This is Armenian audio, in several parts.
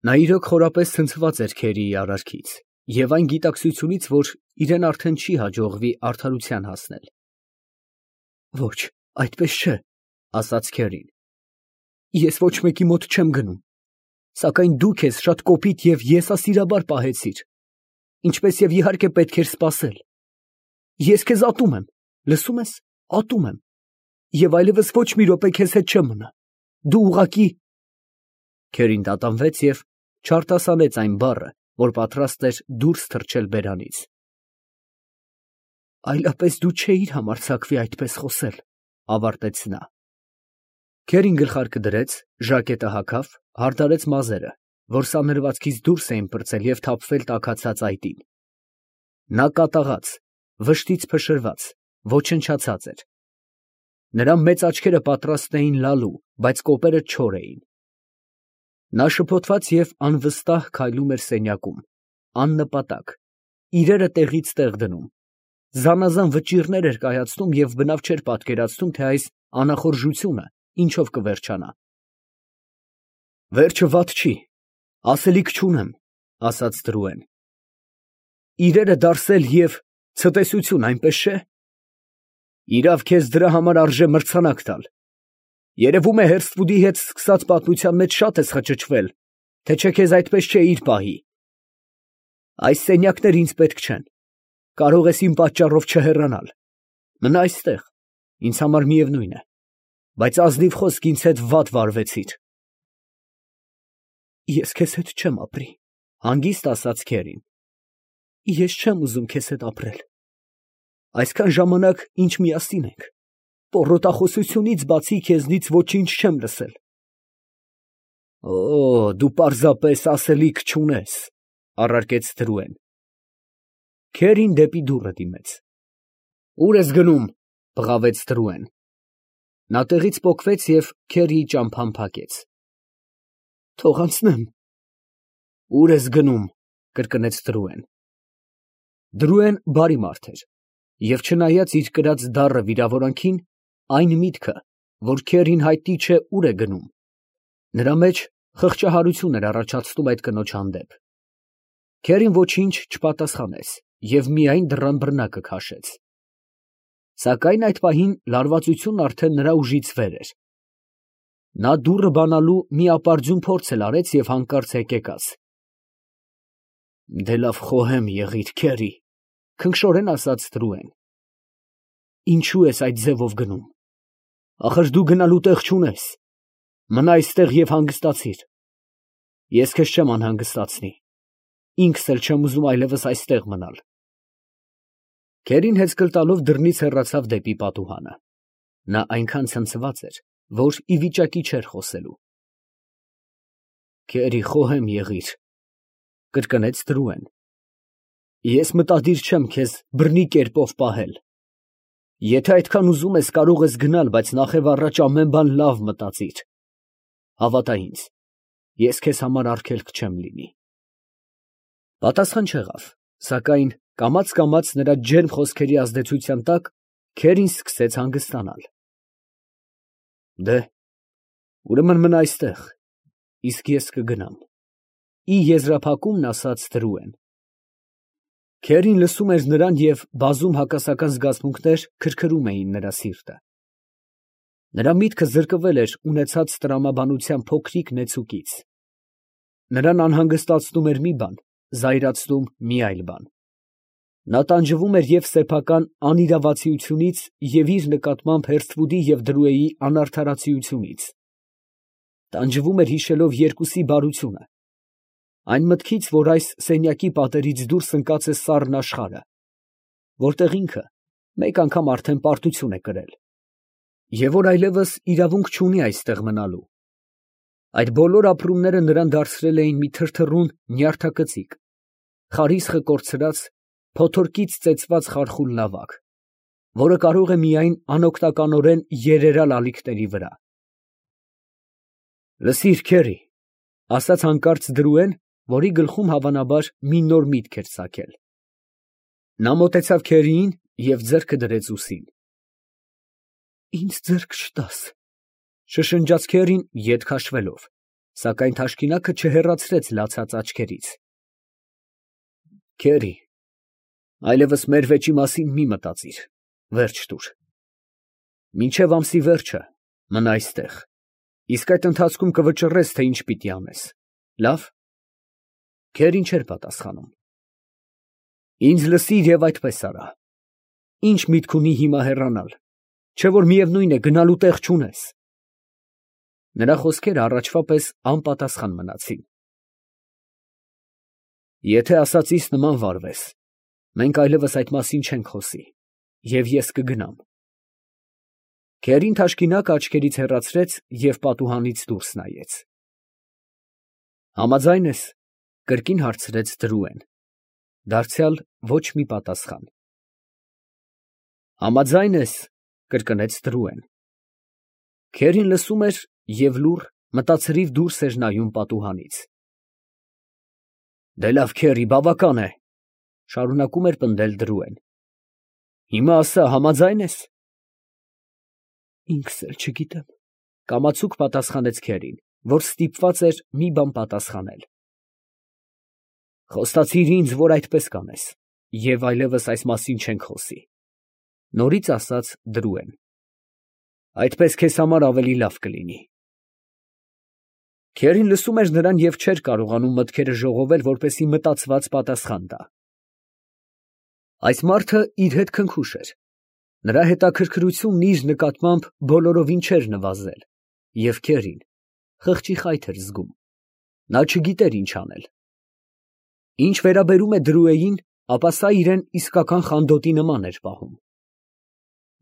Նա իրոք խորապես ցնցված էր Քերիի արարքից և այն գիտակցությունից, որ իրեն արդեն չի հաջողվի արդարության հասնել։ Ոչ, այդպես չէ, ասաց Քերին։ Ես ոչ մեկի մոտ չեմ գնում, սակայն դու քեզ շատ կոպիտ և եսասիրաբար պահեցիր, ինչպես և իհարկե պետք էր սպասել։ Ես քեզ ատում եմ, լսում ես, ատում եմ, և այլևս ոչ մի րոպե քեզ հետ չեմ մնա, դու ուղղակի… Քերին տատանվեց և չարտասանեց այն բառը, որ պատրաստ էր դուրս թռչել բերանից։ Այլապես դու չէիր համարձակվի այդպես խոսել, ավարտեց նա։ Քերին գլխարկը դրեց, ժակետը հագավ, հարդարեց մազերը, որ սանրվածքից դուրս էին պրծել և թափվել տաքացած այտին։ Նա կատաղած, վշտից փշրված, ոչնչացած էր։ Նրա մեծ աչքերը պատրաստ էին լալու, բայց կոպերը չոր էին։ Նա շփոթված և անվստահ քայլում էր սենյակում, աննպատակ, իրերը տեղից տեղ դնում, զանազան վճիռներ էր կայացնում և բնավ չէր պատկերացնում, թե այս անախորժությունը ինչով կվերջանա։ Վերջը վատ չի, ասելիք չունեմ, ասաց Տրուեն։ Իրերը դարսել և ցտեսություն, այնպես չէ։ Իրավ քեզ դրա համար արժե մրցանակ տալ։ Երևում է Հերսթվուդի հետ սկսած պատմության մեջ շատ ես խճճվել, թե չէ քեզ այդպես չէիր պահի։ Այս սենյակները ինձ պետք չեն, կարող ես իմ պատճառով չհեռանալ, մնա այստեղ, ինձ համար միևնույն է, բայց ազնիվ խոսք ինձ հետ վատ վարվեցիր։ Ես քեզ հետ չեմ ապրի, հանգիստ ասաց Քերին։ Ես չեմ ուզում քեզ հետ ապրել։ Այսքան ժամանակ, ինչ միասին ենք, պոռոտախոսությունից բացի քեզնից ոչինչ չեմ լսել։ Օ, դու պարզապես ասելիք չունես, առարկեց Տրուեն։ Քերին դեպի դուռը դիմեց։ Ուր ես գնում, բղավեց Տրուեն։ Նա տեղից պոկվեց և Քերիի ճամփան փակեց։ Թող անցնեմ։ Ուր ես գնում, կրկնեց Տրուեն։ Տրուեն բարի մարդ էր, և չնայած իր կրած դառը վիրավորանքին, այն միտքը, որ Քերին հայտնի չէ ուր է գնում, նրա մեջ խղճահարություն էր առաջացնում այդ կնոջ հանդեպ։ Քերին ոչինչ չպատասխանեց և միայն դռան բռնակը քաշեց։ Սակայն այդ պահին լարվածությունն արդեն նրա ուժից վեր էր։ Նա դուռը բանալու մի ապարդյուն փորձ էլ արեց և հանկարծ հեկեկաց։ Դե լավ խոհեմ եղիր, Քերի, քնքշորեն ասաց Տրուեն։ Ինչու ես այդ ձևով գնում։ Ախր դու գնալու տեղ չունես։ Մնա այստեղ և հանգստացիր։ Ես քեզ չեմ անհանգստացնի։ Ինքս էլ չեմ ուզում այլևս այստեղ մնալ։ Քերին հեծկլ տալով դռնից հեռացավ դեպի պատուհանը։ Նա այնքան ցնցված էր, որ ի վիճակի չէր խոսելու։ Քերի, խոհեմ եղիր, կրկնեց Տրուեն։ Ես մտադիր չեմ քեզ բռնի կերպով պահել։ Եթե այդքան ուզում ես, կարող ես գնալ, բայց նախևառաջ ամեն բան լավ մտածիր։ Հավատա ինձ, ես քեզ համար արգելք չեմ լինի։ Պատասխան չեղավ, սակայն կամաց նրա ջերմ խոսքերի ազդեցության տակ Քերին սկսեց հանգստանալ։ Դե, ուրեմն մնա այստեղ, իսկ ես կգնամ, ի եզրափակումն ասաց Տրուեն։ Քերին լսում էր նրան և բազում հակասական զգացմունքներ քրքրում էին նրա սիրտը։ Նրա միտքը զրկվել էր ունեցած տրամաբանության փոքրիկ նեցուկից։ Նրան անհանգստացնում էր մի բան, զայրացնում մի այլ բան։ Նա տանջվում էր և սեփական անիրավացիությունից և իր նկատմամբ Հերսթվուդի և Դրուեի անարդարացիությունից։ Տանջվում էր հիշելով երկուսի բարությունը, այն մտքից, որ այս սենյակի պատերից դուրս ընկած է սառն աշխարհը, որտեղ ինքը մեկ անգամ արդեն պարտություն է կրել, և որ այլևս իրավունք չունի այստեղ մնալու։ Այդ բոլոր ապրումները նրան դարձրել էին մի թրթռուն նյարդակծիկ, խարիսխը կորցրած, փոթորկից ծեծված խարխուլ նավակ, որը կարող է միայն անօգնականորեն երերալ ալիքների վրա։ Լսիր, Քերի, ասաց հանկարծ Դրուեն, որի գլխում հավանաբար մի նոր միտք էր ծագել։ Նա մոտեցավ Քերիին և ձեռքը դրեց ուսին։ Ինձ ձեռք չտաս, շշնջաց Քերին ետ քաշվելով, Սակայն թաշկինակը չհեռացրեց լացած աչքերից։ Քերի, այլևս մեր վեճի մասին մի մտածիր, վերջ տուր։ Մինչև ամսի վերջը մնա այստեղ, իսկ այդ ընթացքում կվճռես, թե ինչ պիտի անես, լավ։ Քերին չէր պատասխանում։ Ինձ լսիր և այդպես արա։ Ինչ միտք ունի հիմա հեռանալ, չէ որ միևնույն է գնալու տեղ չունես։ Նրա խոսքերը առաջվա պես անպատասխան մնացին։ Եթե ասածիս նման վարվես, մենք այլևս այդ մասին չենք խոսի, և ես կգնամ։ Քերին թաշկինակը աչքերից հեռացրեց և պատուհանից դուրս նայեց։ Համաձայն ես, կրկին հարցրեց Դրուեն։ Դարձյալ ոչ մի պատասխան։ Համաձայն ես, կրկնեց Դրուեն։ Քերին լսում էր և լուռ, մտածրիվ դուրս էր նայում պատուհանից։ Դե լավ, քերի, բավական է, շարունակում էր պնդել Դրուեն։ Հիմա ասա, համաձայն ես։ Ինքս էլ չգիտեմ, կամացուկ պատասխանեց Քերին, որ ստիպված էր մի բան պատասխանել։ Խոստացիր ինձ, որ այդպես կանես, և այլևս այս մասին չենք խոսի, նորից ասաց Դրուեն։ Այդպես քեզ համար ավելի լավ կլինի։ Քերին լսում էր նրան և չէր կարողանում մտքերը ժողովել, որպեսզի մտածված պատասխան տա։ Այս մարդը իր հետ քնքուշ էր։ Նրա հետաքրքրությունն իր նկատմամբ բոլորովին չէր նվազել, և Քերին խղճի խայթ էր զգում։ Նա չգիտեր ինչ անել։ Ինչ վերաբերում է Դրուեին, ապա սա իրեն իսկական խանդոտի նման էր պահում։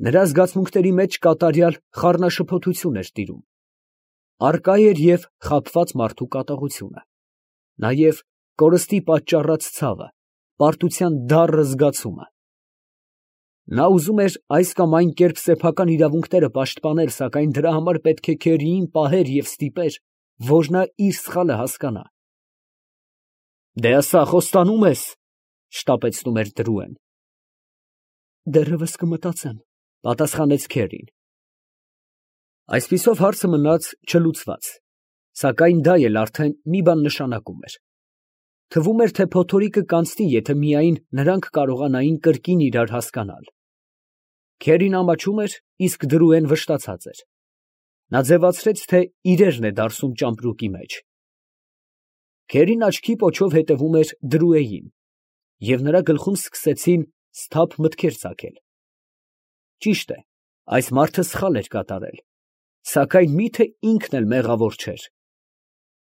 Նրա զգացմունքների մեջ կատարյալ խառնաշփոթություն էր տիրում։ Առկա էր և խաբված մարդու կատաղությունը, նաև կորստի պատճառած ցավը, պարտության դառն զգացումը։ Նա ուզում էր այս կամ այն կերպ սեփական իրավունքները պաշտպանել, սակայն դրա համար պետք է Քերիին պահեր և ստիպեր, որ նա իր սխալը հասկանա։ Դե ասա, խոստանո՞ւմ ես, շտապեցնում էր Դրուեն։ Դեռևս կմտածեմ, պատասխանեց Քերին։ Այսպիսով հարցը մնաց չլուծված, սակայն դա էլ արդեն մի բան նշանակում էր։ Թվում էր, թե փոթորիկը կանցնի, եթե միայն նրանք կարողանային կրկին իրար հասկանալ։ Քերին ամաչում էր, իսկ Դրուեն վշտացած էր։ Նա ձևացրեց, թե իրերն է դարսում ճամպրուկի մեջ։ Քերին աչքի պոչով հետևում էր Դրուեին, և նրա գլխում սկսեցին սթափ մտքեր ծագել։ Ճիշտ է, այս մարդը սխալ էր կատարել, սակայն մի՞թե ինքն էլ մեղավոր չէր։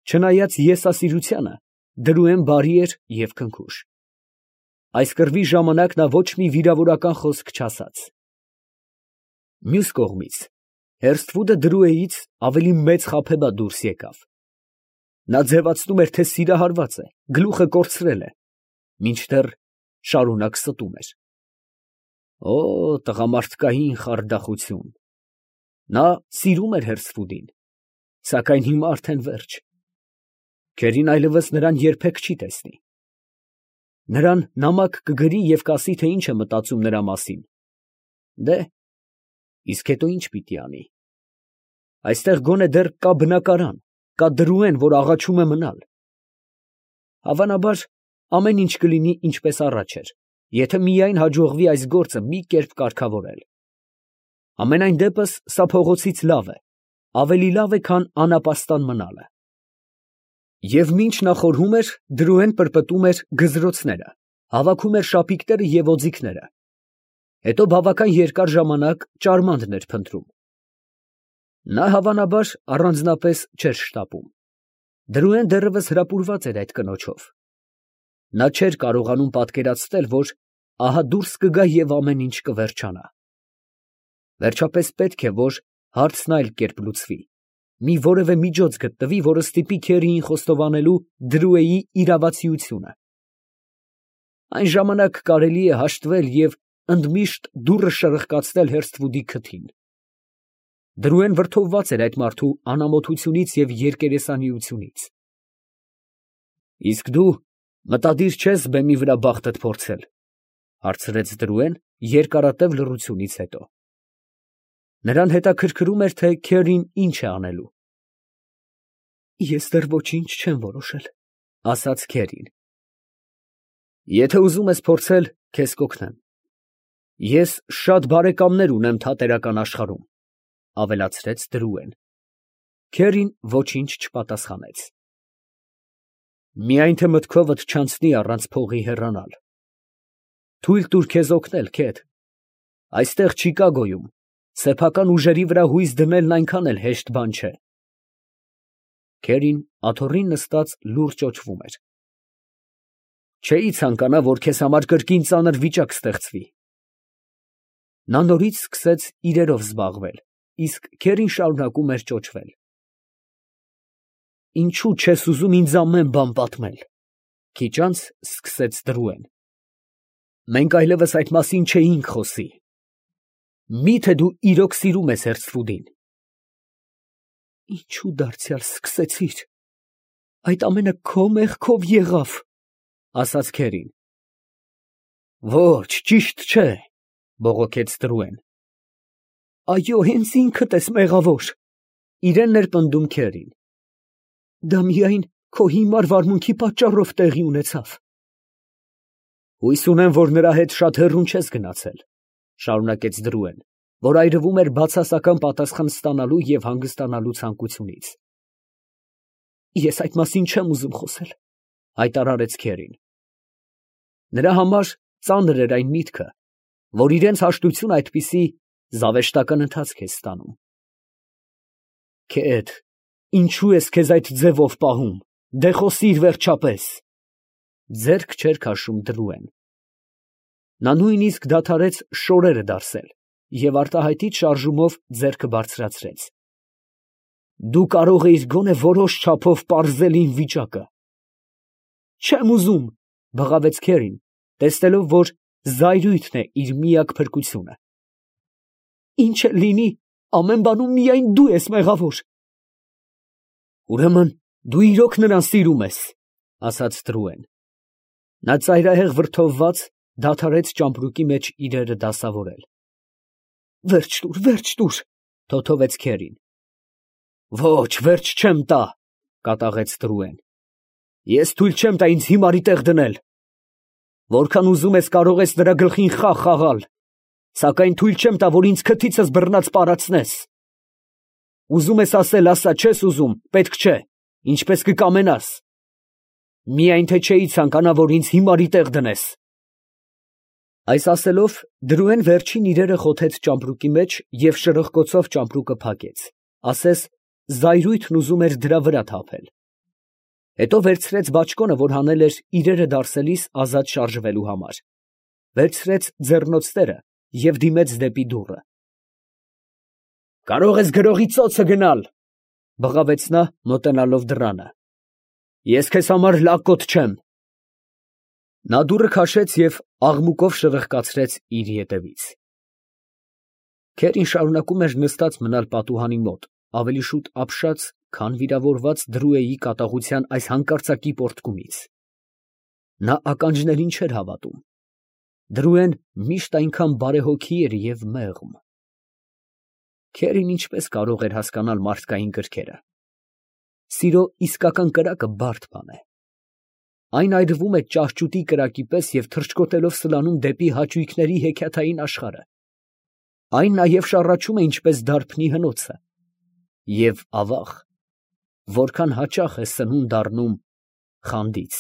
Չնայած եսասիրությանը, Դրուեն բարի էր և քնքուշ։ Այս կռվի ժամանակ նա ոչ մի վիրավորական խոսք չասաց։ Մյուս կողմից, Հերսթվուդը Դրուեից ավելի մեծ խաբեբա դուրս եկավ։ Նա ձևացնում էր, թե սիրահարված է, գլուխը կորցրել է, մինչդեռ շարունակ ստում էր։ Օ, տղամարդկային խարդախություն։ Նա սիրում էր Հերսթվուդին, սակայն հիմա արդեն վերջ։ Քերին այլևս նրան երբեք չի տեսնի։ Նրան նամակ կգրի և կասի, թե ինչ է մտածում նրա մասին։ Դե, իսկ հետո ինչ պիտի անի։ Այստեղ գոնե դեռ կա բնակարան, կա Դրուեն, որ աղաչում է մնալ։ Հավանաբար, ամեն ինչ կլինի ինչպես առաջ էր, եթե միայն հաջողվի այս գործը մի կերպ կարգավորել։ Համենայն դեպս, սա փողոցից լավ է, ավելի լավ է, քան անապաստան մնալը։ Եվ մինչ նա խորհում էր, Դրուեն պրպտում էր գզրոցները, հավաքում էր շապիկները և օձիքները, հետո բավական երկար ժամանակ ճարմանդ էր փնտրում։ Նա հավանաբար առանձնապես չէր շտապում։ Դրուեն դեռևս հրապուրված էր այդ կնոջով։ Նա չէր կարողանում պատկերացնել, որ ահա դուրս կգա և ամեն ինչ կվերջանա։ Վերջապես պետք է, որ հարցն այլ կերպ լուծվի, մի որևէ միջոց գտնվի, որը ստիպի Քերիին խոստովանելու Դրուեի իրավացիությունը։ Այն ժամանակ կարելի է հաշտվել և ընդմիշտ դուռը շրխկացնել Հերսթվուդի քթին։ Դրուեն վրդովված էր այդ մարդու անամոթությունից և երկերեսանիությունից։ Իսկ դու մտադիր չես բեմի վրա բախտդ փորձել, հարցրեց Դրուեն երկարատև լռությունից հետո։ Նրան հետաքրքրում էր, թե Քերին ինչ է անելու։ Ես դեռ ոչինչ չեմ որոշել, ասաց Քերին։ Եթե ուզում ես փորձել, քեզ կօգնեմ։ Ես շատ բարեկամներ ունեմ թատերական աշխարհում, ավելացրեց Դրուեն։ Քերին ոչինչ չպատասխանեց։ Միայն թե մտքովդ չանցնի առանց փողի հեռանալ։ Թույլ տուր քեզ օգնել, Քեթ։ Այստեղ Չիկագոյում սեփական ուժերի վրա հույս դնելն այնքան էլ հեշտ բան չէ։ Քերին աթոռին նստած լուրջ ճոճվում էր։ Չէի ցանկանա, որ քեզ համար կրկին ծանր վիճակ ստեղծվի։ Նա նորից սկսեց իրերով զբաղվել, իսկ Քերին շարունակում էր ճոճվել։ Ինչու չես ուզում ինձ ամեն բան պատմել։ Քիչ անց սկսեց Դրուեն։ Մենք այլևս այդ մասին չէինք խոսի։ Մի՞թե դու իրոք սիրում ես Հերցրուդին։ Ինչու դարձյալ սկսեցիր։ Այդ ամենը քո մեղքով եղավ, ասաց Քերին։ Ոչ, ճիշտ չէ, բողոքեց Դրուեն։ Այո, հենց ինքդ ես մեղավոր, իրեն էր պնդում Քերին։ Դա միայն քո հիմար վարմունքի պատճառով տեղի ունեցավ։ Հույս ունեմ, որ նրա հետ շատ հեռուն չես գնացել, շարունակեց Դրուեն, որ այրվում էր բացասական պատասխան ստանալու և հանգստանալու ցանկությունից։ Ես այդ մասին չեմ ուզում խոսել, հայտարարեց Քերին։ Նրա համար ծանր էր այն միտքը, որ իրենց հաշտությունը այդպիսի զավեշտական ընթացք է ստանում։ Քեթ, ինչու ես քեզ այդ ձևով պահում, դե խոսիր վերջապես։ Ձեռք չէր քաշում Դրուեն։ Նա նույնիսկ դադարեց շորերը դարսել և արտահայտիչ շարժումով ձեռքը բարձրացրեց։ Դու կարող էիր գոնե որոշ չափով պարզել իմ վիճակը։ Չեմ ուզում, բղավեց Քերին, տեսնելով, որ զայրույթն է իր միակ փրկությունը։ Ինչ էլ լինի, ամեն բանում միայն դու ես մեղավոր։ Ուրեմն դու իրոք նրան սիրում ես, ասաց Դրուեն։ Նա ծայրահեղ վրդովված դադարեց ճամպրուկի մեջ իրերը դասավորել։ Վերջ տուր, թոթովեց Քերին։ Ոչ, վերջ չեմ տա, կատաղեց Դրուեն։ Ես թույլ չեմ տա ինձ հիմարի տեղ դնել։ Որքան ուզում ես կարող ես նրա գլխին խաղ խաղալ, սակայն թույլ չեմ տա, որ ինձ քթիցս բռնած պարացնես։ Ուզում ես ասել, ասա, չես ուզում, պետք չէ, ինչպես կկամենաս։ Միայն թե չէի ցանկանա, որ ինձ հիմարի տեղ դնես։ Այս ասելով, Դրուեն վերջին իրերը խոթեց ճամպրուկի մեջ և շրխկոցով ճամպրուկը փակեց, ասես զայրույթն ուզում էր դրա վրա թափել։ Հետո վերցրեց բաճկոնը, որ հանել էր իրերը դարսելիս ազատ շարժվելու համար, վերցրեց ձեռնոցները և դիմեց դեպի դուռը։ Կարող ես գրողի ծոցը գնալ, բղավեց նա, մոտենալով դռանը։ Ես քեզ համար լակոտ չեմ։ Նա դուռը քաշեց և աղմուկով շրխկացրեց իր ետևից։ Քերին շարունակում էր նստած մնալ պատուհանի մոտ, ավելի շուտ ապշած, քան վիրավորված Դրուեի կատաղության այս հանկարծակի պոռթկումից։ Նա ականջներին չէր հավատում։ Դրուեն միշտ այնքան բարեհոգի էր և մեղմ։ Քերին ինչպես կարող էր հասկանալ մարդկային կրքերը։ Սիրո իսկական կրակը բարդ բան է։ Այն այրվում է ճահճուտի կրակի պես և թռչկոտելով սլանում դեպի հաճույքների հեքիաթային աշխարհը։ Այն նաև շառաչում է ինչպես դարբնի հնոցը։ Եվ ավաղ, որքան հաճախ է սնունդ առնում խանդից։